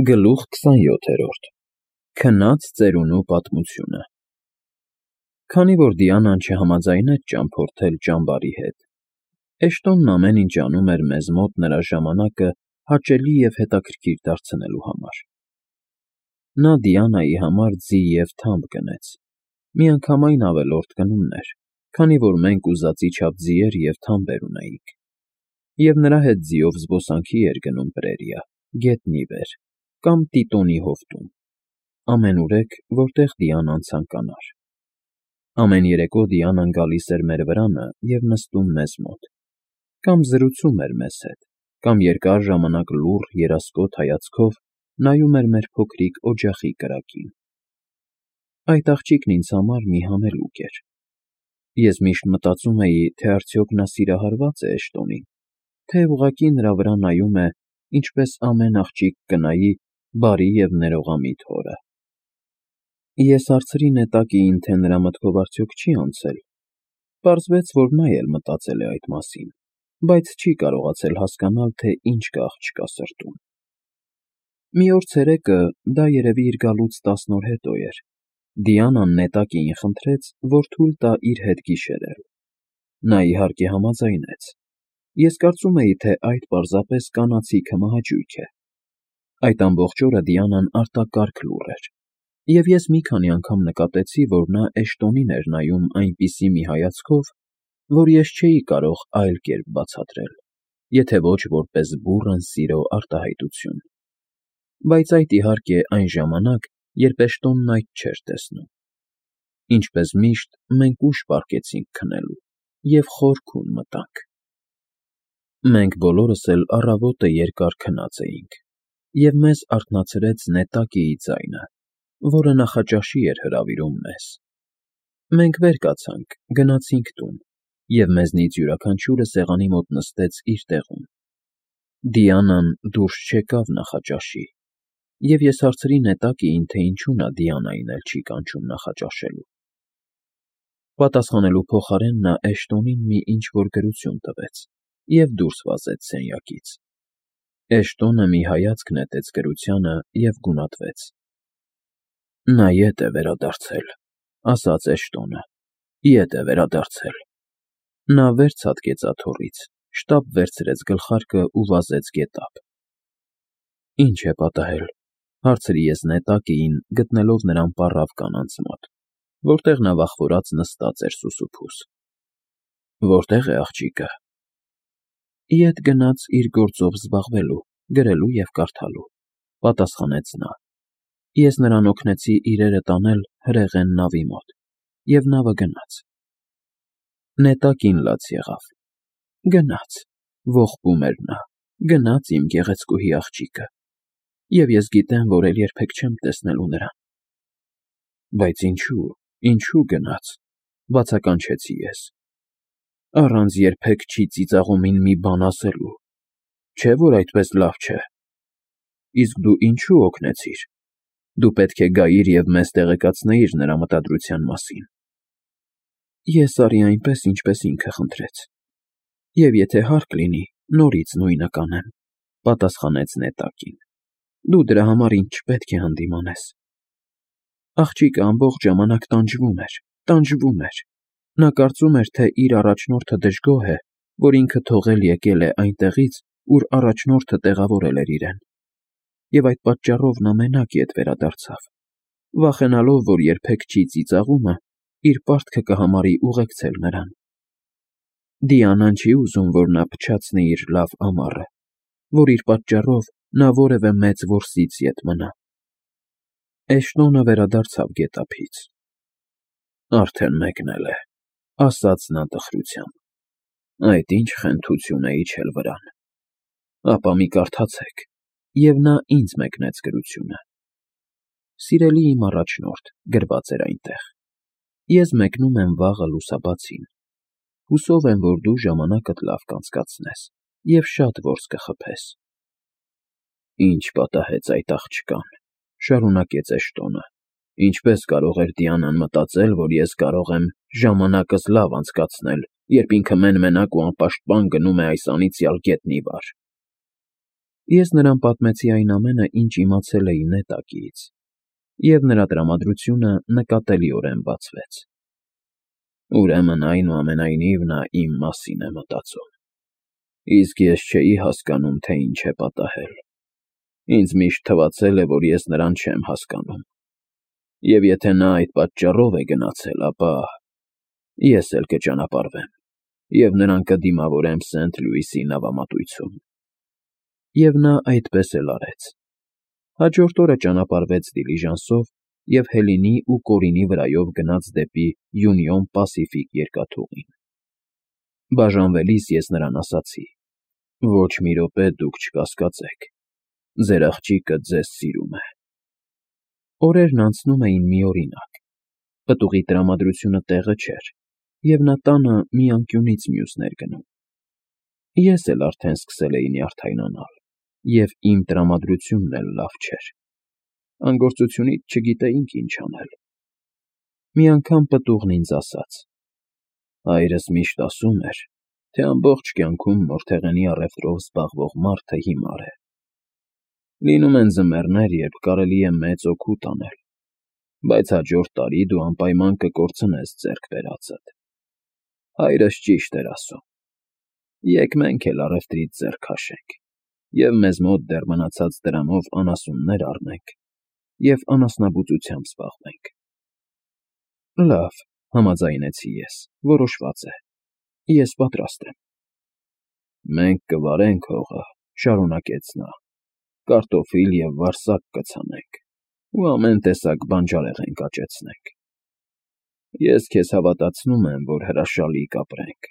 Գլուխ 27 Քնած ծերունու պատմությունը Քանի որ Դիանան չհամաձայնեց ճամփորդել ճամբարի հետ, Էշտոնն ամեն ինչ անում էր մեզ մոտ նրա ժամանակը հաճելի և հետաքրքիր դարձնելու համար։ Նա Դիանայի համար ձի և թամբ գնեց, միանգամայն ավելորդ գնումներ, քանի որ մենք ուզածի չափ ձիեր և թամբեր ունեինք, և նրա հետ ձիով զբոսանքի էր գնում պրերիա, գետնի վեր կամ Տիտոնի հովտում, ամենուրեք, որտեղ Դիանան ցանկանար։ Ամեն երեկո Դիանան գալիս էր մեր վրանը և նստում մեզ մոտ, կամ զրուցում էր մեզ հետ, կամ երկար ժամանակ լուռ երասկոտ հայացքով նայում էր մեր փոքրիկ օջախի կրակին։ Այդ աղջիկն ինձ համար մի հանելուկ էր։ Ես միշտ մտածում էի, թե արդյոք նա սիրահարվա՞ծ է Էշտոնին, թե ուղղակի նրա վրա նայում է, ինչպես ամեն աղջիկ կնայի բարի և ներողամիտ հորը։ Ես հարցրի նետակիին, թե նրա մտքով արդյոք չի անցել։ Պարզվեց, որ նա էլ մտածել է այդ մասին, բայց չի կարողացել հասկանալ, թե ինչ կա աղջկա սրտում։ Մի օր ցերեկը, դա երևի իր գալուց 10 օր հետո էր, Դիանան նետակիին խնդրեց, որ թույլ տա իր հետ գիշերել։ Նա իհարկե համաձայնեց։ Ես կարծում էի, թե այդ պարզապես կանացի քմահաճույք է։ Այդ ամբողջ օրը Դիանան արտակարգ լուռ էր, և ես մի քանի անգամ նկատեցի, որ նա Էշտոնին էր նայում այնպիսի մի հայացքով, որ ես չէի կարող այլ կերպ բացատրել, եթե ոչ որպես բուռն սիրո արտահայտություն։ Բայց այդ, իհարկե, այն ժամանակ, երբ Էշտոնն այդ չէր տեսնում։ Ինչպես միշտ, մենք ուշ պառկեցինք քնելու և խոր քուն մտանք։ Մենք բոլորս էլ առավոտը երկար քնած էինք, և մեզ արթնացրեց նետակիի ձայնը, որը նախաճաշի էր հրավիրում մեզ։ Մենք վեր կացանք, գնացինք տուն, և մեզնից յուրաքանչյուրը սեղանի մոտ նստեց իր տեղում։ Դիանան դուրս չեկավ նախաճաշի, և ես հարցրի նետակիին, թե ինչու նա Դիանային էլ չի կանչում նախաճաշելու։ Պատասխանելու փոխարեն նա Էշտոնին մի ինչ֊որ գրություն տվեց և դուրս վազեց սենյակից։ Էշտոնը մի հայացք նետեց գրությանը և գունատվեց։ Նա ետ է վերադարձել, ասաց Էշտոնը, ետ է վերադարձել։ Նա վեր ցատկեց աթոռից, շտապ վերցրեց գլխարկը ու վազեց գետափ։ Ինչ է պատահել, հարցրի ես նետակիին, գտնելով նրան պառավ կանանց մոտ, որտեղ նա վախվորած նստած էր սուսուփուս։ Որտե՞ղ է աղջիկը։ Ետ գնաց իր գործով զբաղվելու, գրելու և կարդալու, պատասխանեց նա։ Ես նրան օգնեցի իրերը տանել հրեղեն նավի մոտ, և նավը գնաց։ Նետակին լաց եղավ։ Գնաց, ողբում էր նա, գնաց իմ գեղեցկուհի աղջիկը, և ես գիտեմ, որ էլ երբեք չեմ տեսնելու նրան։ Բայց ինչու գնաց, բացականչեցի ես։ Առանց երբեք չի ծիծաղում մի բան ասելու, չէ՞ որ այդպես լավ չէ։ Իսկ դու ինչու օգնեցիր։ Դու պետք է գայիր և մեզ տեղեկացնեիր նրա մտադրության մասին։ Ես արի այնպես, ինչպես ինքը խնդրեց, և եթե հարկ լինի, նորից նույնը կանեմ, պատասխանեց նետակին։ Դու դրա համար ինձ չպետք է հանդիմանես։ Աղջիկը ամբողջ ժամանակ տանջվում էր։ Նա կարծում էր, թե իր առաջնորդը դժգոհ է, որ ինքը թողել եկել է այնտեղից, ուր առաջնորդը տեղավորել էր իրեն, և այդ պատճառով նա մենակ ետ վերադարձավ, վախենալով, որ երբեք չի ծիծաղումը իր պարտքը կհամարի ուղեկցել նրան։ Դիանան չի ուզում, որ նա փչացնի իր լավ ամառը, որ իր պատճառով նա որևէ մեծ որսից ետ մնա։ Էշտոնը վերադարձավ գետափից։ Արդեն մեկնել է, ասաց նա տխրությամբ։ Այդ ինչ խենթություն է իջել վրան։ Ապա մի կարդացեք, և նա ինձ մեկնեց գրությունը։ Սիրելի իմ առաջնորդ, գրված էր այնտեղ, ես մեկնում եմ վաղը լուսաբացին։ Հուսով եմ, որ դու ժամանակդ լավ կանցկացնես և շատ որս կխփես։ Ինչ պատահեց այդ աղջկան, շարունակեց Էշտոնը։ Ինչպես կարող էր Դիանան մտածել, որ ես կարող եմ ժամանակս լավ անցկացնել, երբ ինքը մեն֊մենակ ու անպաշտպան գնում է այս անիծյալ գետնի վար։ Ես նրան պատմեցի այն ամենը, ինչ իմացել էի նետակից, և նրա տրամադրությունը նկատելիորեն բացվեց։ Ուրեմն, այնուամենայնիվ, նա իմ մասին է մտածում։ Իսկ ես չէի հասկանում, թե ինչ է պատահել։ Ինձ միշտ թվացել է, որ ես նրան չեմ հասկանում։ Եվ եթե նա այդ պատճառով է գնացել, ապա ես էլ կճանապարհվեմ, և նրան կդիմավորեմ Սենթ Լուիսի նավամատույցում։ Եվ նա այդպես էլ արեց։ Հաջորդ օրը ճանապարհվեց դիլիժանսով և Հելինի ու Կորինի վրայով գնաց դեպի Յունիոն Պասիֆիկ երկաթուղին։ Բաժանվելիս ես նրան ասացի. «Ոչ մի րոպե դուք չկասկածեք, ձեր աղջիկը ձեզ սիրում է»։ Օրերն անցնում էին միօրինակ։ Պտուղի տրամադրությունը տեղը չէր, և նա տանը մի անկյունից մյուսն էր գնում։ Ես էլ արդեն սկսել էի նյարդայնանալ, և իմ տրամադրությունն էլ լավ չէր։ Անգործությունից չգիտեինք ինչ անել։ Մի անգամ պտուղն ինձ ասաց. «Հայրս միշտ ասում էր, թե ամբողջ կյանքում մորթեղենի առևտրով զբաղվող մարդը հիմար է։ Լինում են ձմեռներ, երբ կարելի է մեծ օգուտ անել, բայց հաջորդ տարի դու անպայման կկորցնես ձեռք բերածդ։ Հայրս ճիշտ էր ասում։ Եկ մենք էլ առևտրից ձեռ քաշենք, և մեզ մոտ դեռ մնացած դրամով անասուններ առնենք և անասնաբուծությամբ զբաղվենք»։ Լավ, համաձայնեցի ես, որոշված է։ Ես պատրաստ եմ։ Մենք կվարենք հողը, շարունակեց նա, կարտոֆիլ և վարսակ կցանենք ու ամեն տեսակ բանջարեղեն կաճեցնենք։ Ես քեզ հավատացնում եմ, որ հրաշալի կապրենք։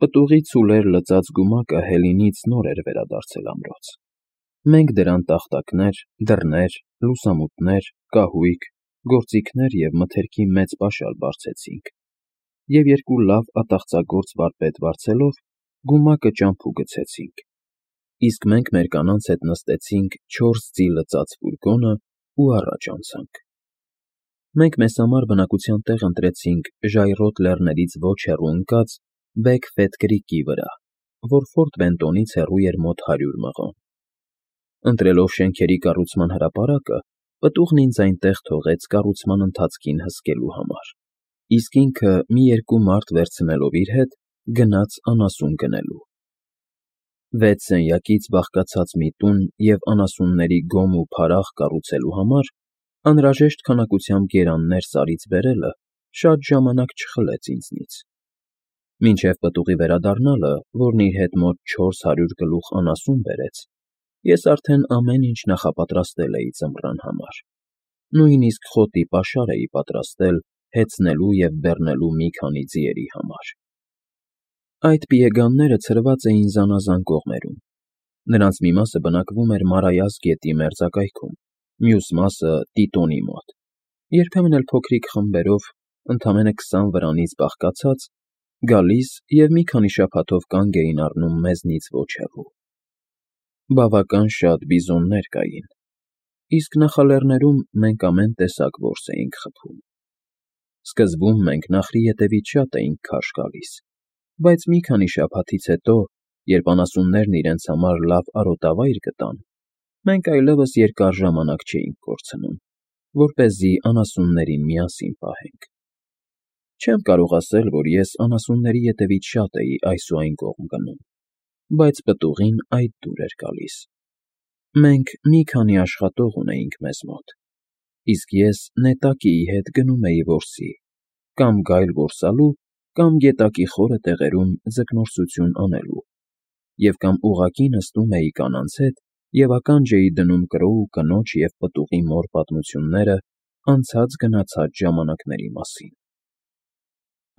Պտուղի ցուլեր լծած գումակը Հելինից նոր էր վերադարձել ամրոց։ Մենք դրան տախտակներ, դռներ, լուսամուտներ, կահույք, գործիքներ և մթերքի մեծ պաշար բարձեցինք, և երկու լավ ատաղծագործ վարպետ վարձելով, գումակը ճամփու գցեցինք, իսկ մենք մեր կանանց հետ նստեցինք 4 ձի լծած ֆուրգոնը ու առաջ անցանք։ Մենք մեզ համար բնակության տեղ ընտրեցինք ժայռոտ լեռներից ոչ հեռու ընկած Բեքֆեթ Քրիքի վրա, որ Ֆորտ Բենտոնից հեռու էր մոտ 100 մղոն։ Ընտրելով շենքերի կառուցման հրապարակը, պտուղն ինձ այնտեղ թողեց կառուցման ընթացքին հսկելու համար, իսկ ինքը մի երկու մարդ վերցնելով իր հետ, գնաց անասուն գնելու։ 6 սենյակից բաղկացած մի տուն և անասունների գոմ ու փարաղ կառուցելու համար անհրաժեշտ քանակությամբ գերաններ Սարից բերելը շատ ժամանակ չխլեց ինձնից։ Մինչև պտուղի վերադառնալը, որն իր հետ մոտ 400 գլուխ անասուն բերեց, ես արդեն ամեն ինչ նախապատրաստել էի ձմռան համար, նույնիսկ խոտի պաշար էի պատրաստել հեծնելու և բեռնելու մի քանի ձիերի համար։ Այդ պիեգանները ցրված էին զանազան կողմերում։ Նրանց մի մասը բնակվում էր Մարայას գետի մերձակայքում, մյուս մասը Տիտոնի մոտ, երբեմն էլ փոքրիկ խմբերով, ընդամենը 20 վրանից բաղկացած, գալիս և մի քանի շաբաթով կանգ էին առնում մեզնից ոչ հեռու։ Բավական շատ բիզոններ կային, իսկ նախալեռներում մենք ամեն տեսակ որս էինք խփում։ Սկզբում մենք նախրի ետևից շատ էինք քարշ գալիս, բայց մի քանի շաբաթից հետո, երբ անասուններն իրենց համար լավ արոտավայր գտան, մենք այլևս երկար ժամանակ չէինք կորցնում, որպեսզի անասուններին միասին պահենք։ Չեմ կարող ասել, որ ես անասունների ետևից շատ էի այս ու այն կողմ գնում, բայց պտուղին այդ դուր էր գալիս։ Մենք մի քանի աշխատող ունեինք մեզ մոտ, իսկ ես նետակիի հետ գնում էի որսի, կամ գայլ որսալու, կամ գետակի խորը տեղերում ձկնորսություն անելու, և կամ ուղղակի նստում էի կանանց հետ և ականջ էի դնում կրո ու կնոջ և պտուղի մոր պատմությունները անցած֊գնացած ժամանակների մասին։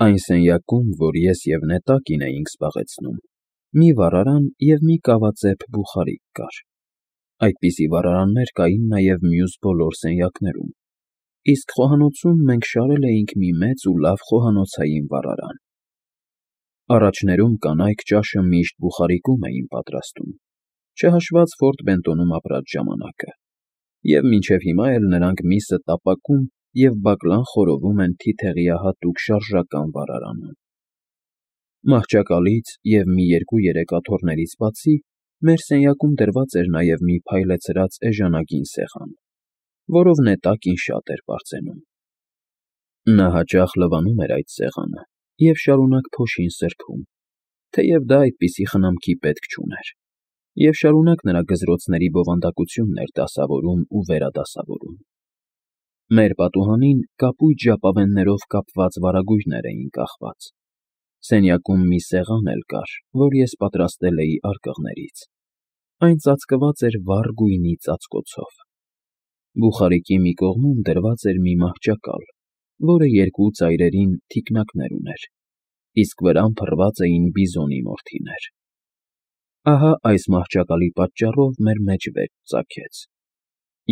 Այն սենյակում, որ ես և նետակին էինք զբաղեցնում, մի վառարան և մի կավածեպ բուխարիկ կար։ Այդպիսի վառարաններ կային նաև մյուս բոլոր սենյակներում, իսկ խոհանոցում մենք շարել էինք մի մեծ ու լավ խոհանոցային վառարան։ Առաջներում կանայք ճաշը միշտ բուխարիկում էին պատրաստում, չհաշված Ֆորտ Բենտոնում ապրած ժամանակը, և մինչև հիմա էլ նրանք միսը տապակում և բակլան խորովում են թիթեղյահատուկ շարժական վառարանում։ Մահճակալից և մի 2-3 աթոռներից բացի, Մեր սենյակում դրված էր նաև մի փայլեցրած էժանագին սեղան, որով նետակին շատ էր պարծենում։ Նա հաճախ լվանում էր այդ սեղանը և շարունակ փոշին սրբում, թեև դա այդպիսի խնամքի պետք չուներ, և շարունակ նրա գզրոցների բովանդակությունն էր դասավորում ու վերադասավորում։ Մեր պատուհանին կապույտ ժապավեններով կապված վարագույրներ էին կախված։ Սենյակում մի սեղան էլ կար, որ ես պատրաստել էի արկղներից։ Այն ծածկված էր վառ գույնի ծածկոցով։ Բուխարիկի մի կողմում դրված էր մի մահճակալ, որը երկու ծայրերին թիկնակներ ուներ, իսկ վրան փռված էին բիզոնի մորթիներ։ Ահա այս մահճակալի պատճառով մեր մեջ վեճ ծագեց։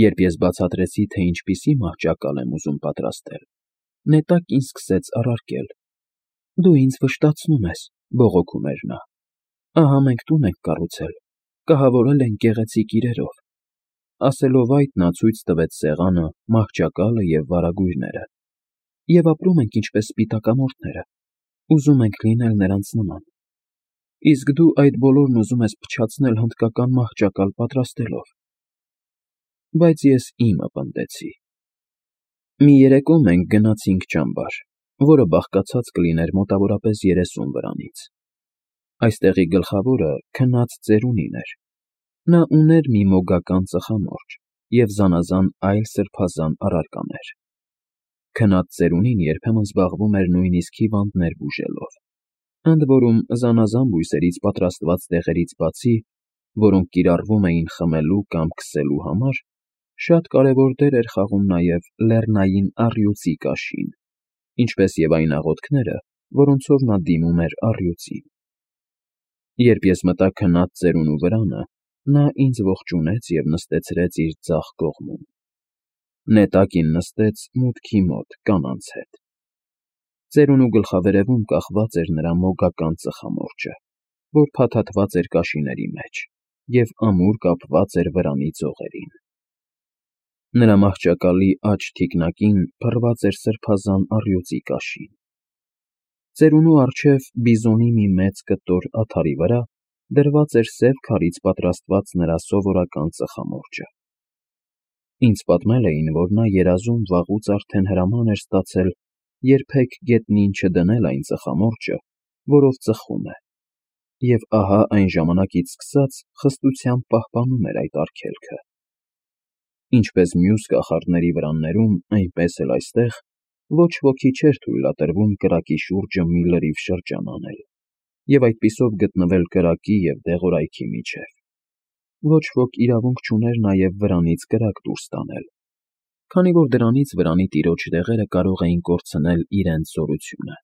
Երբ ես բացատրեցի, թե ինչպիսի մահճակալ եմ ուզում պատրաստել, նետակին սկսեց առարկել։ «Դու ինձ վշտացնում ես», բողոքում էր նա։ «Ահա մենք տուն ենք կառուցել, կահավորել ենք գեղեցիկ իրերով»։ Ասելով այդ, նա ցույց տվեց սեղանը, մահճակալը և վարագույրները։ «Եվ ապրում ենք ինչպես սպիտակամորթները, ուզում ենք լինել նրանց նման։ Իսկ դու այդ բոլորն ուզում ես փչացնել հնդկական մահճակալ պատրաստելով»։ Բայց ես իմը պնդեցի։ Մի երեկո մենք գնացինք ճամբար, որը բաղկացած կլիներ մոտավորապես 30 վրանից։ Այստեղի գլխավորը քնած ծերունին էր։ Նա ուներ մի մոգական ծխամորճ և զանազան այլ սրբազան առարկաներ։ Քնած ծերունին երբեմն զբաղվում էր նույնիսկ հիվանդներ բուժելով, ընդ որում զանազան բույսերից պատրաստված դեղերից բացի, որոնք կիրառվում էին խմելու կամ քսելու համար, շատ կարևոր դեր էր խաղում նաև լեռնային առյուծի կաշին, ինչպես և այն աղոթքները, որոնցով նա դիմում էր առյուծին։ Երբ ես մտա քնած ծերունու վրանը, նա ինձ ողջունեց և նստեցրեց իր ձախ կողմում։ Նետակին նստեց մուտքի մոտ կանանց հետ։ Ծերունու գլխավերևում կախված էր նրա մոգական ծխամորճը, որ փաթաթված էր կաշիների մեջ և ամուր կապված էր վրանի ծողերին։ Նրա մահճակալի աջ թիկնակին փռված էր սրբազան առյուծի կաշին։ Ծերունու առջև բիզոնի մի մեծ կտոր աթարի վրա դրված էր սև քարից պատրաստված նրա սովորական ծխամորճը։ Ինձ պատմել էին, որ նա երազում վաղուց արդեն հրաման էր ստացել երբեք գետնին չդնել այն ծխամորճը, որով ծխում է, և ահա այն ժամանակից սկսած խստությամբ պահպանում էր այդ արգելքը։ Ինչպես մյուս կախարդների վրաններում, այնպես էլ այստեղ ոչ ոքի չէր թույլատրվում կրակի շուրջը մի լրիվ շրջան անել և այդպիսով գտնվել կրակի և դեղորայքի միջև։ Ոչ ոք իրավունք չուներ նաև վրանից կրակ դուրս տանել, քանի որ դրանից վրանի տիրոջ դեղերը կարող էին կորցնել իրենց զորությունը։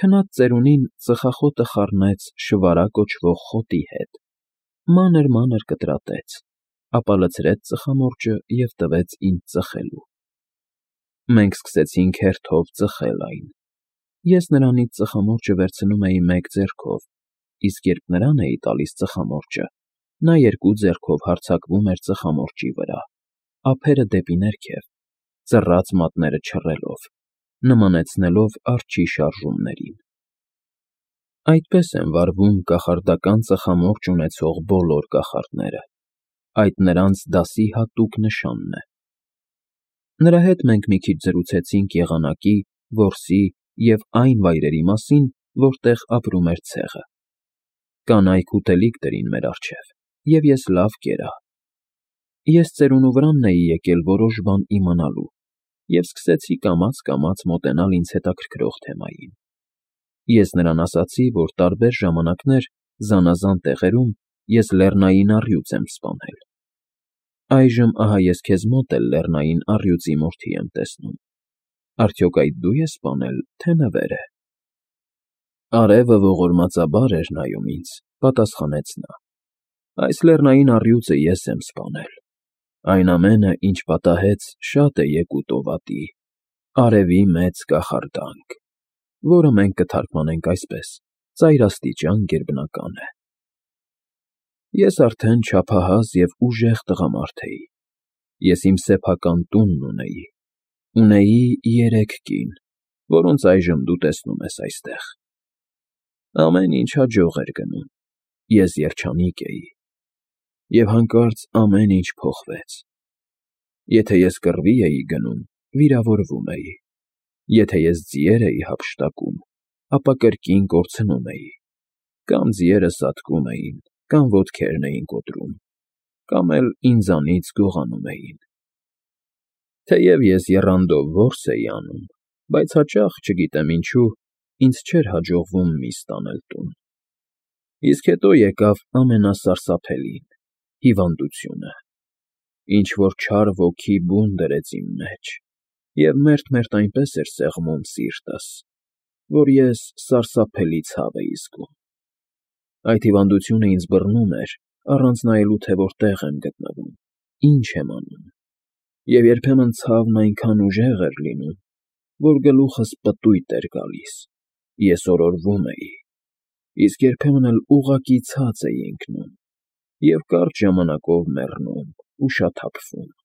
Քնած ծերունին ծխախոտը խառնեց շվարա կոչվող խոտի հետ, մանր կտրատեց, ապա լցրեց ծխամորճը և տվեց ինձ ծխելու։ Մենք սկսեցինք հերթով ծխել այն։ Ես նրանից ծխամորճը վերցնում էի մեկ ձեռքով, իսկ երբ նրան էի տալիս ծխամորճը, նա երկու ձեռքով հարձակվում էր ծխամորճի վրա, ափերը դեպի ներքև, ծռած մատները չռելով, նմանեցնելով արջի շարժումներին։ Այդպես են վարվում կախարդական ծխամորճ ունեցող բոլոր կախարդները, այդ նրանց դասի հատուկ նշանն է։ Նրա հետ մենք մի քիչ զրուցեցինք եղանակի, որսի և այն վայրերի մասին, որտեղ ապրում էր ցեղը։ Կանայք ուտելիք դրին մեր առջև, և ես լավ կերա։ Ես ծերունու վրանն էի եկել որոշ բան իմանալու և սկսեցի կամաց մոտենալ ինձ հետաքրքրող թեմային։ Ես նրան ասացի, որ տարբեր ժամանակներ զանազան տեղերում ես լեռնային առյուծ եմ սպանել։ Այժմ ահա ես քեզ մոտ էլ լեռնային առյուծի մորթի եմ տեսնում։ Արդյոք այդ դու ես սպանել, թե նվերը։ Արևը ողորմածաբար էր նայում ինձ, պատասխանեց նա։ Այս լեռնային առյուծը ես եմ սպանել։ Այն ամենը, ինչ պատահեց, շատ է եկուտով ատի, արևի մեծ կախարդանք, որը մենք կթարգմանենք այսպես. ծայրաստիճան գերբնական է։ Ես արդեն չափահաս և ուժեղ տղամարդ էի։ Ես իմ սեփական տունն ունեի։ Ունեի 3 կին, որոնց այժմ դու տեսնում ես այստեղ։ Ամեն ինչ հաջող էր գնում։ ես երջանիկ էի, և հանկարծ ամեն ինչ փոխվեց. եթե ես կռվի էի գնում, վիրավորվում էի, եթե ես ձիեր էի հափշտակում, ապա կրկին կորցնում էի, կամ ձիերը սատկում էին, կամ ոտքերն էին կոտրում, կամ էլ ինձանից գողանում էին։ Թեև ես եռանդով որս էի անում, բայց հաճախ, չգիտեմ ինչու, ինձ չէր հաջողվում միս տանել տուն։ Իսկ հետո եկավ ամենասարսափելին՝ հիվանդությունը, ինչ֊որ չար ոգի բուն դրեց իմ մեջ, և մերթ-մերթ այնպես էր սեղմում սիրտս, որ ես սարսափելի ցավ էի զգում։ Այդ հիվանդությունը ինձ բռնում էր, առանց նայելու, թե որտեղ եմ գտնվում, ինչ եմ անում, և երբեմն ցավն այնքան ուժեղ էր լինում, որ գլուխս պտույտ էր գալիս, ես օրորվում էի, իսկ երբեմն էլ ուղղակի ցած էի ընկնում և կարճ ժամանակով մեռնում ու շաթափվում։